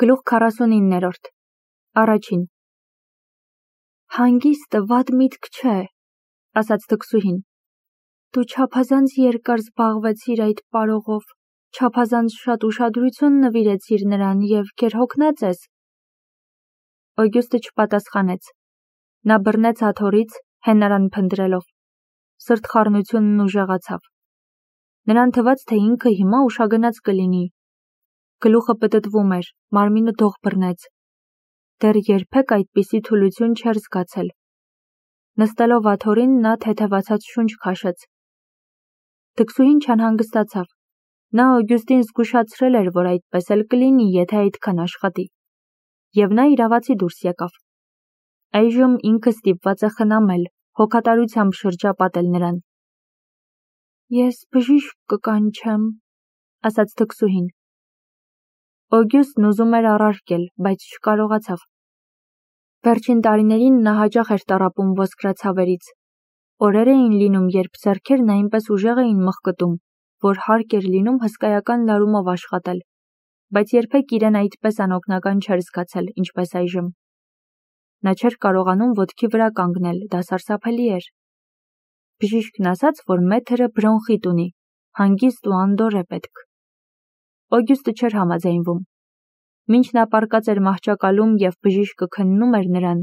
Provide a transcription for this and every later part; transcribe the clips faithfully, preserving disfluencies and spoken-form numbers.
Գլուխ քառասունիններորդ Առաջին Հանգիստը վատ միտք չէ, ասաց թքսուհին։ Դու չափազանց երկար զբաղվեցիր այդ պարողով, չափազանց շատ ուշադրություն նվիրեցիր նրան և գերհոգնած ես։ Օգյուստը չպատասխանեց։ Նա բռնեց աթոռից, հենարան փնտրելով։ Սրտխառնությունն ուժեղացավ։ Նրան թվաց, թե ինքը հիմա ուշագնաց կլինի։ Գլուխը պտտվում էր, մարմինը դող բռնեց։ Դեռ երբեք այդպիսի թուլություն չէր զգացել։ Նստելով աթոռին, նա թեթևացած շունչ քաշեց։ Թքսուհին չանհանգստացավ։ Նա Օգյուստին զգուշացրել էր, որ այդպես էլ կլինի, եթե այդքան աշխատի։ Եվ նա իրավացի դուրս եկավ։ Այժմ ինքը ստիպված է խնամել, հոգատարությամբ շրջապատել նրան։ Ես բժիշկ կկանչեմ, ասաց թքսուհին։ Օգյուստն ուզում էր առարկել, բայց չկարողացավ։ Վերջին տարիներին նա հաճախ էր տառապում ոսկրացավերից։ Օրեր էին լինում, երբ ձեռքերն այնպես ուժեղ էին մխկտում, որ հարկ էր լինում հսկայական լարումով աշխատել, բայց երբեք իրեն այդպես անօգնական չէր զգացել, ինչպես այժմ։ Նա չէր կարողանում ոտքի վրա կանգնել, դա սարսափելի էր։ Բժիշկն ասաց, որ մեթրը բրոնխիտ ունի, հանգիստ ու անդորր է պետք։ Օգյուստը չէր համաձայնվում։ Մինչ նա պառկած էր մահճակալում և բժիշկը քննում էր նրան,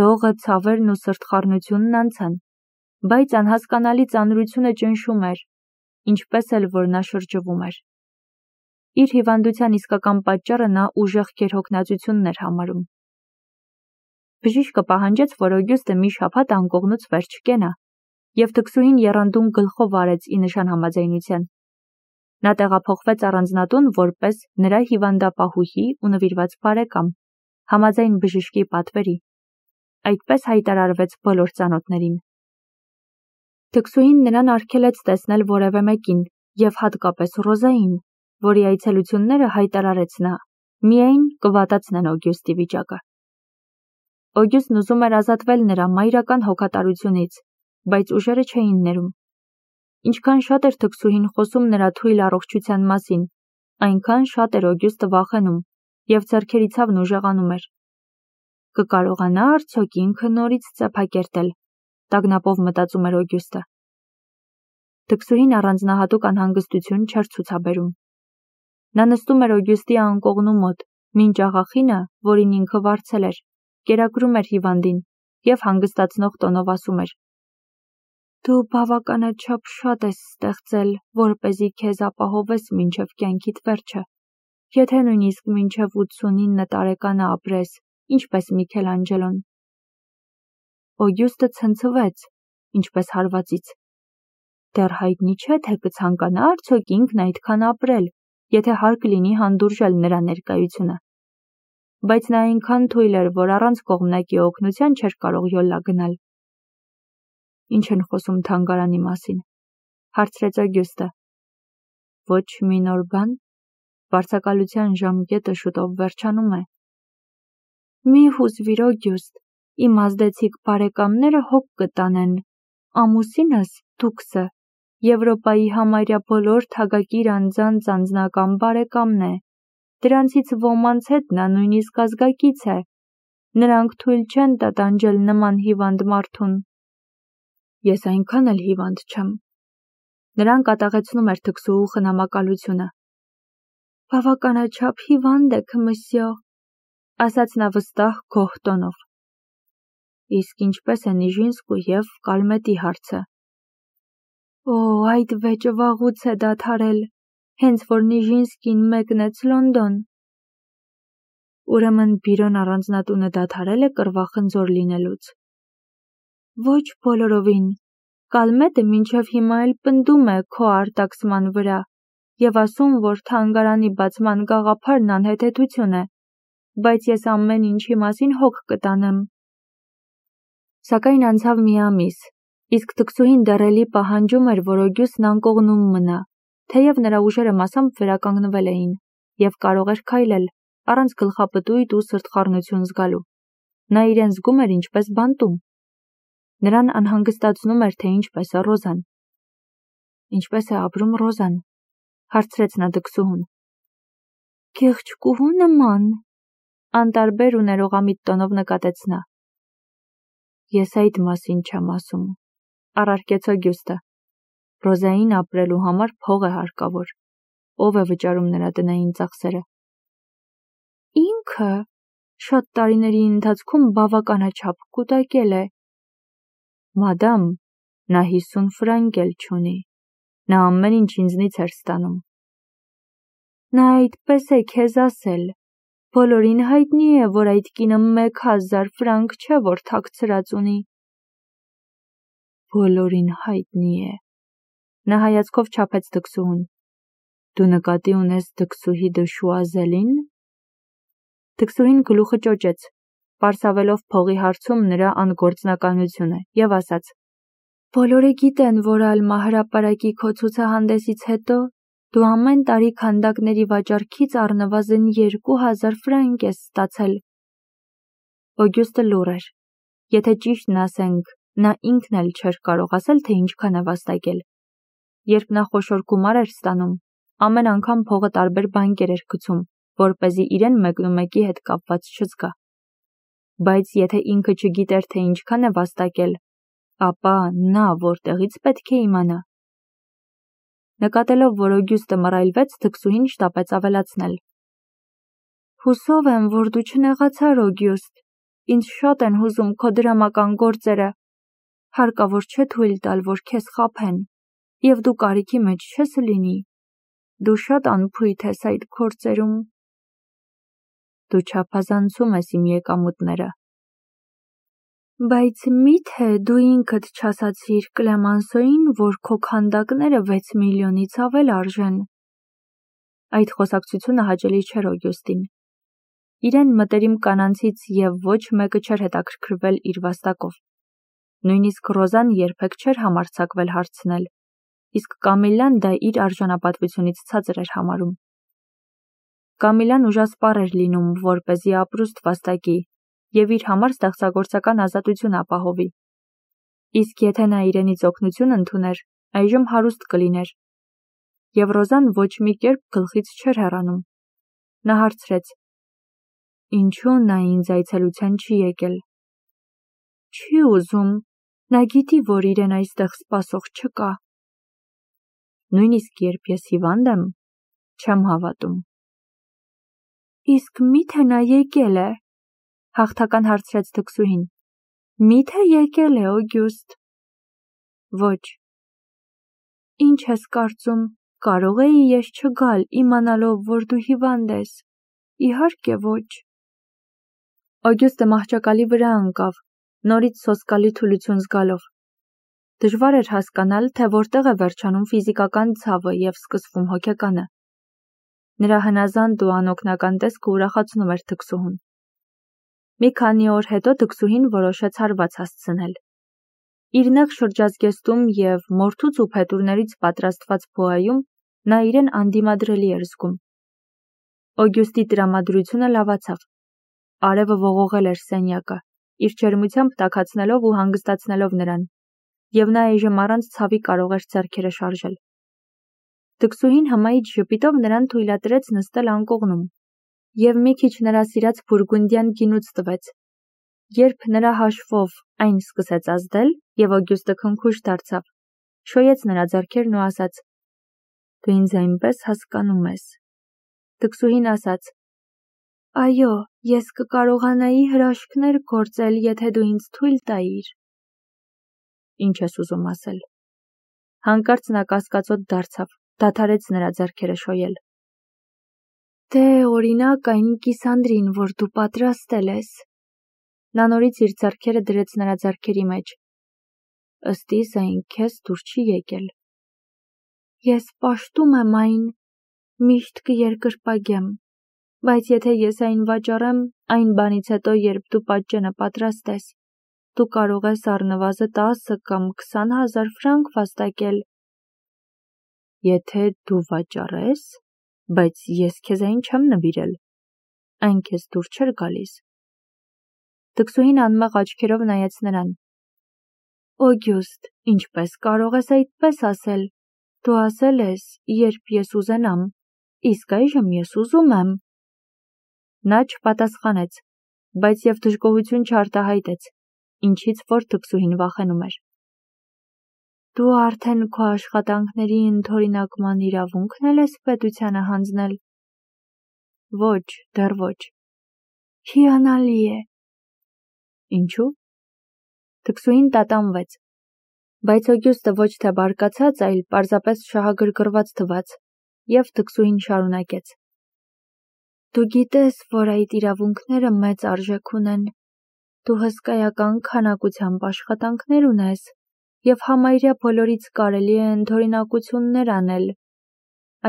դողը, ցավերն ու սրտխառնությունն անցան, բայց անհասկանալի ծանրությունը ճնշում էր, ինչպես էլ որ նա շրջվում էր։ Իր հիվանդության իսկական պատճառը նա ուժեղ գերհոգնածությունն էր համարում։ Բժիշկը պահանջեց, որ Օգյուստը մի շաբաթ անկողնուց վեր չկենա, և թքսուհին եռանդուն գլխով արեց ի նշան համաձայնության։ Նա տեղափոխվեց առանձնատուն որպես նրա հիվանդապահուհի ու նվիրված բարեկամ, համաձայն բժշկի պատվերի։ Այդպես հայտարարվեց բոլոր ծանոթներին։ Թքսուհին նրան արգելեց տեսնել որևէ մեկին, և հատկապես Ռոզային, որի այցելությունները հայտարարեց նա, միայն կվատացնեն Օգյուստի վիճակը։ Օգյուստն ուզում էր ազատվել նրա մայրական հոգատարությունից, բայց ուժերը չէին ներում։ Ինչքան շատ էր թքսուհին խոսում նրա թույլ առողջության մասին, այնքան շատ էր Օգյուստը վախենում, և ձեռքերի ցավն ուժեղանում էր։ Կկարողանա արդյոք ինքը նորից ծեփակերտել, տագնապով մտածում էր Օգյուստը։ Թքսուհին առանձնահատուկ անհանգստություն չէր ցուցաբերում։ Նա նստում էր Օգյուստի անկողնու մոտ, մինչ աղախինը, որին ինքը վարձել էր, կերակրում էր հիվանդին և հանգստացնող տոնով ասում էր. Դու բավականաչափ շատ ես ստեղծել, որպեսզի քեզ ապահովես մինչև կյանքիդ վերջը, եթե նույնիսկ մինչև ութսունինը տարեկանը ապրես, ինչպես Միքելանջելոն։ Օգյուստը ցնցվեց, ինչպես հարվածից։ Դեռ հայտնի չէ, թե կցանկանա արդյոք ինքն այդքան ապրել, եթե հարկ լինի հանդուրժել նրա ներկայությունը։ Բայց նա այնքան թույլ էր, որ առանց կողմնակի օգնության չէր կարող յոլա գնալ։ Ինչ են խոսում թանգարանի մասին, հարցրեց Օգյուստը։ Ոչ մի նոր բան, վարձակալության ժամկետը շուտով վերջանում է։ Մի հուզվիր, Օգյուստ, իմ ազդեցիկ բարեկամները հոգ կտանեն, ամուսինս, դուքսը, Եվրոպայի համարյա բոլոր թագակիր անձանց անձնական բարեկամն է, դրանցից ոմանց հետ նա նույնիսկ ազգակից է, նրանք թույլ չեն տա տանջել նման հիվանդ մարդուն։ Ես այնքան էլ հիվանդ չեմ։ Նրան կատաղեցնում էր թքսուհու խնամակալությունը։ Բավականաչափ հիվանդ եք, մսյո, ասաց նա վստահ գոհ տոնով։ Իսկ ինչպես է Նիժինսկու և Կալմետի հարցը։ Օ, այդ վեճը վաղուց է դադարել, հենց որ Նիժինսկին մեկնեց Լոնդոն։ Ուրեմն բիրոն առանձնատունը դադարել է կռվախնձոր լինելուց։ Ոչ բոլորովին, Կալմետը մինչև հիմա էլ պնդում է քո արտաքսման վրա և ասում, որ թանգարանի բացման գաղափարն անհեթեթություն է, բայց ես ամեն ինչի մասին հոգ կտանեմ։ Սակայն անցավ մի ամիս, իսկ թքսուհին դեռ էլի պահանջում էր, որ Օգյուստն անկողնում մնա, թեև նրա ուժերը մասամբ վերականգնվել էին, և կարող էր քայլել, առանց գլխապտույտ ու սրտխառնություն զգալու։ Նա իրեն զգում էր ինչպես բանտում։ Նրան անհանգստացնում էր, թե ինչպես է Ռոզան։ Ինչպես է ապրում Ռոզան, հարցրեց նա թքսուհուն։ Կեղճկուհու նման, անտարբեր ու ներողամիտ տոնով նկատեց նա։ Ես այդ մասին չեմ ասում, առարկեց Օգյուստը։ Ռոզային ապրելու համար փող է հարկավոր։ Ով է վճարում նրա տնային ծախսերը։ Ինքը շատ տարիների ընթացքում բավականաչափ կուտակել է։ Մադամ, նա հիսուն ֆրանկ էլ չունի։ Նա ամեն ինչ ինձնից էր ստանում։ Նա այդպես է քեզ ասել։ Բոլորին հայտնի է, որ այդ կինը մեկ հազար ֆրանկ չէ, որ թաքցրած ունի։ Բոլորին հայտնի է։ Նա հայացքով չափեց դքսուհուն։ Դու նկատի ունես դքսուհի Դշուազելին։ Դքսուհին գլուխը ճոճեց, պարսավելով փողի հարցում նրա անգործնականությունը, եւ ասաց. Բոլորը գիտեն, որ Ալմա հրապարակի քո ցուցահանդեսից հետո դու ամեն տարի քանդակների վաճառքից առնվազն երկու հազար ֆրանկ ես ստացել։ Օգյուստը լուռ էր։ Եթե ճիշտն ասենք, նա ինքն էլ չէր կարող ասել, թե ինչքան է վաստակել։ Երբ նա խոշոր գումար էր ստանում, ամեն անգամ փողը տարբեր բանկեր էր գցում, որպեսզի իրեն մեկնումեկի հետ կապված չզգա։ Բայց եթե ինքը չգիտեր, թե ինչքան է վաստակել, ապա նա որտեղից պետք է իմանա։ Նկատելով, որ Օգյուստը մռայլվեց, դքսուհին շտապեց ավելացնել. Հուսով եմ, որ դու չնեղացար, Օգյուստ։ Ինձ շատ են հուզում քո դրամական գործերը։ Հարկավոր չէ թույլ տալ, որ քեզ խաբեն, եւ դու կարիքի մեջ չես լինի։ Դու շատ անփույթ ես այդ գործերում։ Դու չափազանցում ես իմ եկամուտները։ Բայց մի՞թե դու ինքդ չասացիր Կլեմանսոյին, որ քո քանդակները վեց միլիոնից ավել արժեն։ Այդ խոսակցությունը հաճելի չէր Օգյուստին։ Իրեն մտերիմ կանանցից եւ ոչ մեկը չէր հետաքրքրվել իր վաստակով։ Նույնիսկ Ռոզան երբեք չէր համարձակվել հարցնել, իսկ Կամիլան դա իր արժանապատվությունից ցածր էր համարում։ Կամիլան ուժասպառ էր լինում, որպեսզի ապրուստ վաստակի եւ իր համար ստեղծագործական ազատություն ապահովի։ Իսկ եթե նա իրենից օգնություն ընդուներ, այժմ հարուստ կլիներ։ Եվ Ռոզան ոչ մի կերպ գլխից չէր հեռանում։ Նա հարցրեց. Ինչու նա ինձ այցելության չի եկել։ Չի ուզում, նա գիտի, որ իրեն այստեղ սպասող չկա։ Նույնիսկ երբ ես հիվանդ եմ, չեմ հավատում։ Իսկ մի՞թե նա եկել է, հաղթական հարցրեց դքսուհին։ Մի՞թե եկել է, Օգյուստ։ Ոչ։ Ինչ ես կարծում, կարող էի ես չգալ, իմանալով, որ դու հիվանդ ես։ Իհարկե ոչ։ Օգյուստը մահճակալի վրա ընկավ, նորից սոսկալի թուլություն զգալով։ Դժվար էր հասկանալ, թե որտեղ է վերջանում ֆիզիկական ցավը եւ սկսվում հոգեկանը։ Նրա հնազանդ ու անօգնական տեսքը ուրախացնում էր դքսուհուն։ Մի քանի օր հետո դքսուհին որոշեց հարված հասցնել։ Իր նեղ շրջազգեստում եւ մորթուց ու փետուրներից պատրաստված փոայում նա իրեն անդիմադրելի էր զգում։ Օգյուստի տրամադրությունը լավացավ։ Արևը ողողել էր սենյակը, իր ջերմությամբ տաքացնելով ու հանգստացնելով նրան, եւ նա այժմ առանց ցավի կարող էր ձեռքերը շարժել։ Դքսուհին հմայիչ ժպիտով նրան թույլատրեց նստել անկողնում եւ մի քիչ նրա սիրած բուրգունդյան գինուց տվեց։ Երբ նրա հաշվով այն սկսեց ազդել եւ Օգյուստը քնքուշ դարձավ, շոյեց նրա ձեռքերն ու ասաց. Դու ինձ այնպես հասկանում ես։ Դքսուհին ասաց. Այո, ես կկարողանայի հրաշքներ գործել, եթե դու ինձ թույլ տայիր։ Ինչ ես ուզում ասել։ Հանկարծ նա կասկածոտ դարձավ, դադարեց նրա ձեռքերը շոյել։ Դե օրինակ այն կիսանդրին, որ դու պատրաստել ես։ Նա նորից իր ձեռքերը դրեց նրա ձեռքերի մեջ։ Ըստ իս այն քեզ դուր չի եկել։ Ես պաշտում եմ այն, միշտ կերկրպագեմ, բայց եթե ես այն վաճառեմ, այն բանից հետո, երբ դու պատճենը պատրաստես, դու կարող ես առնվազն տասը կամ քսան հազար ֆրանկ վաստակել։ Եթե դու վաճառես, բայց ես քեզ այն չեմ նվիրել, այն քեզ դուր չէր գալիս։ Դքսուհին անմեղ աչքերով նայեց նրան։ Օգյուստ, ինչպես կարող ես այդպես ասել։ Դու ասել ես, երբ ես ուզենամ, իսկ այժմ ես ուզում եմ։ Նա չպատասխանեց, բայց և դժգոհություն չարտահայտեց, ինչից որ թկսուհին վախենում էր։ Դու արդեն քո աշխատանքների ընդօրինակման իրավունքն էլ ես պետությանը հանձնել։ Ոչ, դեռ ոչ։ Հիանալի է։ Ինչու՞։ Թկսուհին տատանվեց, բայց Օգյուստը ոչ թե բարկացած, այլ պարզապես շահագրգռված թվաց, և թկսուհին շարունակեց. Դու գիտես, որ այդ իրավունքները մեծ արժեք ունեն։ Դու հսկայական քանակությամբ աշխատանքներ ունես, և համարյա բոլորից կարելի է ընդօրինակություններ անել։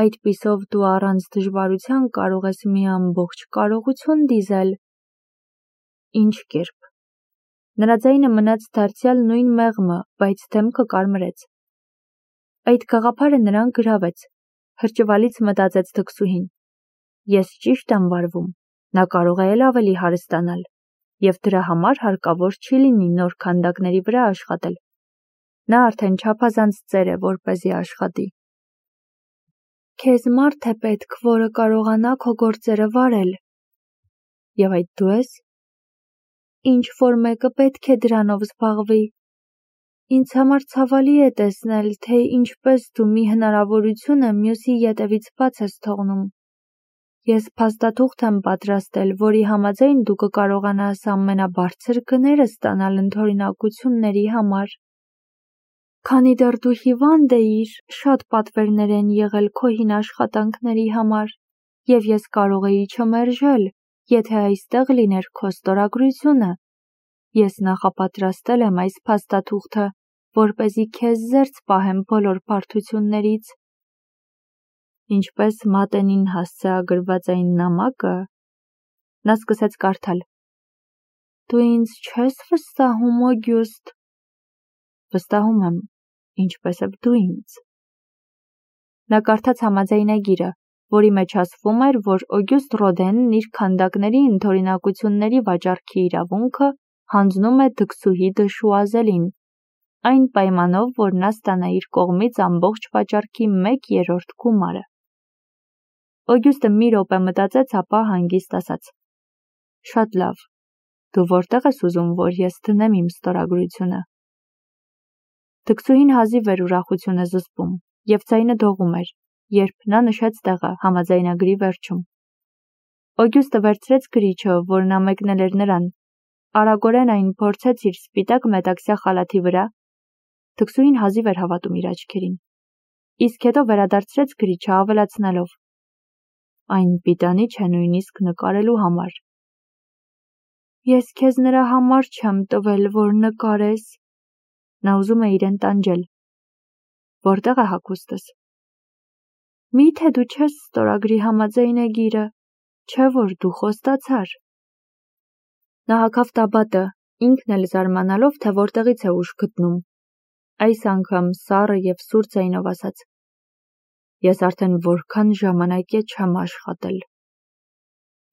Այդպիսով դու առանց դժվարության կարող ես մի ամբողջ կարողություն դիզել։ Ինչ կերպ։ Նրա ձայնը մնաց դարձյալ նույն մեղմը, բայց դեմքը կարմրեց։ Այդ գաղափարը նրան գրավեց, հրճվալից մտածեց թկսուհին։ Ես ճիշտ եմ վարվում, նա կարող է էլ ավելի հարստանալ, և դրա համար հարկավոր չի լինի նոր քանդակների վրա աշխատել։ Նա արդեն չափազանց ծեր է, որպեսզի աշխատի։ Քեզ մարդ է պետք, որը կարողանա քո գործերը վարել։ Եվ այդ դու ես։ Ինչ-որ մեկը պետք է դրանով զբաղվի։ Ինձ համար ցավալի է տեսնել, թե ինչպես դու մի հնարավորությունը մյուսի ետևից բաց ես թողնում։ Ես փաստաթուղթ եմ պատրաստել, որի համաձայն դու կկարողանաս ամենաբարձր գները ստանալ ընդօրինակությունների համար։ Քանի դեռ դու հիվանդ էիր, շատ պատվերներ են եղել քո հին աշխատանքների համար, և ես կարող էի չմերժել, եթե այստեղ լիներ քո ստորագրությունը։ Ես նախապատրաստել եմ այս փաստաթուղթը, որպեսզի քեզ զերծ պահեմ բոլոր բարդություններից։ Ինչպես մատենին հասցեագրված այն նամակը։ Նա սկսեց կարդալ. Դու ինձ չես վստահում, Օգյուստ։ Վստահում եմ, ինչպես և դու ինձ։ Նա կարդաց համաձայնագիրը, որի մեջ ասվում էր, որ Օգյուստ Ռոդենն իր քանդակների ընդօրինակությունների վաճառքի իրավունքը հանձնում է թկսուհի Դշուազելին, այն պայմանով, որ նա ստանա իր կողմից ամբողջ վաճառքի մեկ երրորդ գումարը։ Օգյուստը մի րոպե մտածեց, ապա հանգիստ ասաց. Շատ լավ, դու որտեղ ես ուզում, որ ես դնեմ իմ ստորագրությունը։ Թկսուհին հազիվ էր ուրախությունը զսպում, և ձայնը դողում էր, երբ նա նշեց տեղը համաձայնագրի վերջում։ Օգյուստը վերցրեց գրիչը, որ նա մեկնել էր նրան, արագորեն այն փորձեց իր սպիտակ մետաքսյա խալաթի վրա։ Թկսուհին հազիվ էր հավատում իր աչքերին, իսկ հետո վերադարձրեց գրիչը, ավելացնելով. Այն պիտանի չէ նույնիսկ նկարելու համար։ Ես քեզ նրա համար չեմ տվել, որ նկարես։ Նա ուզում է իրեն տանջել։ Որտեղ է հագուստս։ Մի՞թե դու չես ստորագրի համաձայնագիրը, չէ՞ որ դու խոստացար։ Նա հագավ տաբատը, ինքն էլ զարմանալով, թե որտեղից է ուժ գտնում։ Այս անգամ սառը և սուր ձայնով ասաց. Ես արդեն որքան ժամանակ է չեմ աշխատել։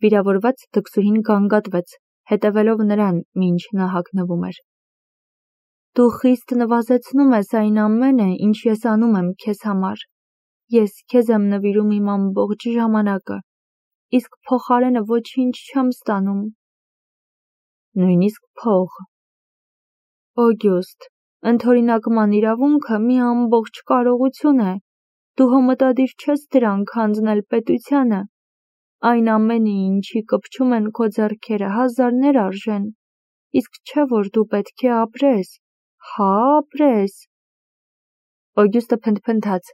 Վիրավորված թկսուհին գանգատվեց, հետևելով նրան, մինչ նա հագնվում էր։ Դու խիստ նվազեցնում ես այն ամենը, ինչ ես անում եմ քեզ համար։ Ես քեզ եմ նվիրում իմ ամբողջ ժամանակը, իսկ փոխարենը ոչինչ չեմ ստանում։ Նույնիսկ փող։ Օգյուստ, ընդօրինակման իրավունքը մի ամբողջ կարողություն է։ Դու հմտադիր չես դրանք հանձնել պետությանը։ Այն ամենը, ինչի կպչում են քո ձեռքերը, հազարներ արժեն, իսկ չէ որ դու պետք է ապրես, հա ապրես։ Օգյուստը փնթփնթաց.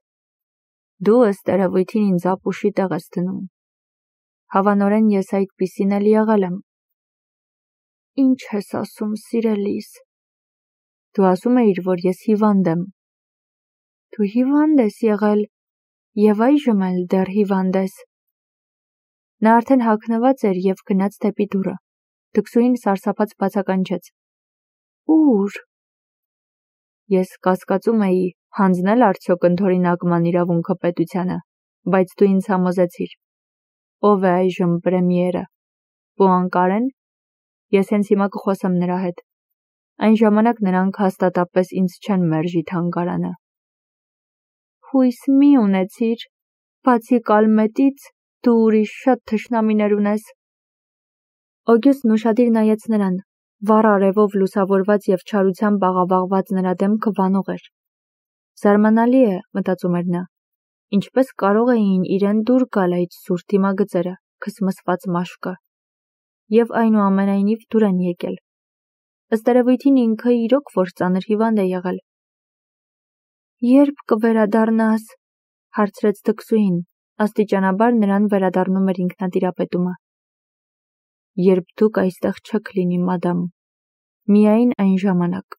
Դու ըստ երևույթին ինձ ապուշի տեղ ես դնում։ Հավանորեն ես այդպիսին էլ եղել եմ։ Ինչ ես ասում, սիրելիս։ Դու ասում էիր, որ ես հիվանդ եմ։ Դու հիվանդ ես եղել, և այժմ էլ դեռ հիվանդ ես։ Նա արդեն հագնված էր և գնաց դեպի դուռը։ Թկսուհին սարսափած բացականչեց. Ո՞ւր։ Ես կասկածում էի, հանձնել արդյոք ընդօրինակման իրավունքը պետությանը, բայց դու ինձ համոզեցիր։ Ո՞վ է այժմ պրեմիերը։ Պուանկարեն։ Ես հենց հիմա կխոսեմ նրա հետ։ Այն ժամանակ նրանք հաստատապես ինձ չեն մերժի թանգարանը։ Հույս մի ունեցիր, բացի Կալմետից դու ուրիշ շատ թշնամիներ ունես։ Օգյուստն ուշադիր նայեց նրան, վառ արևով լուսավորված և չարությամբ աղավաղված նրա դեմքը վանող էր։ Զարմանալի է, մտածում էր նա, ինչպես կարող էին իրեն դուր գալ այդ սուր դիմագծերը, քսմսված մաշկը, և այնուամենայնիվ դուր են եկել։ Ըստ երևույթին ինքը իրոք որ ծանր հիվանդ է եղել։ Ե՞րբ կվերադառնաս, հարցրեց թքսուհին, աստիճանաբար նրան վերադառնում էր ինքնատիրապետումը։ Երբ դուք այստեղ չեք լինի, մադամ, միայն այն ժամանակ։